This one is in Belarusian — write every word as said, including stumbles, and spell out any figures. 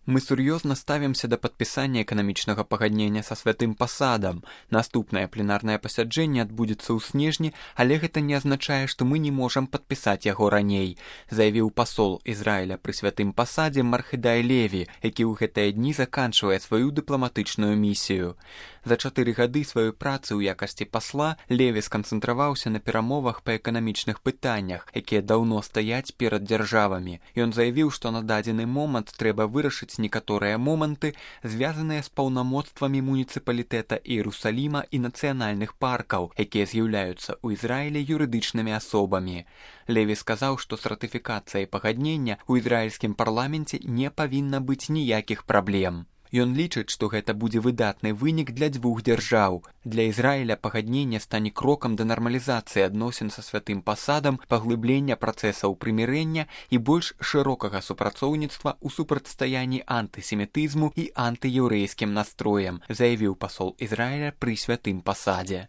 Мы сур'ёзна ставімся да падпісання эканамічнага пагаднення са святым пасадам. Наступнае пленарнае пасяджэнне адбудзецца ў снежні, але гэта не азначае, што мы не можам падпісаць яго раней, заявіў пасол Ізраіля пры святым пасадзе Мархедай Леві, які ў гэтыя дні заканчвае сваю дыпламатычную місію. За чатыры гады сваёй працы ў якасці пасла Леві сканцэнтраваўся на перамовах па эканамічных пытаннях, якія даўно стаяць перад дзяржавамі. Ён заявіў, што на дадзены момант трэба вырашыць некаторыя моманты, звязаныя з паўнамоцтвамі муніцыпалітэта Іерусаліма і нацыянальных паркаў, якія з'яўляюцца ў Ізраілі юрыдычнымі асобамі. Леві сказаў, што з ратыфікацыяй пагаднення ў ізраільскім парламенце не павінна быць ніякіх праблем. Ён лічыць, што гэта будзе выдатны вынік для дзвюх дзяржаў. Для Ізраіля пагадненне стане крокам да нармалізацыі адносін са святым пасадам, паглыблення працэсаў прымірэння і больш шырокага супрацоўніцтва ў супрацьстаянні антысемітызму і антыеўрэйскім настроям, заявіў пасол Ізраіля пры святым пасадзе.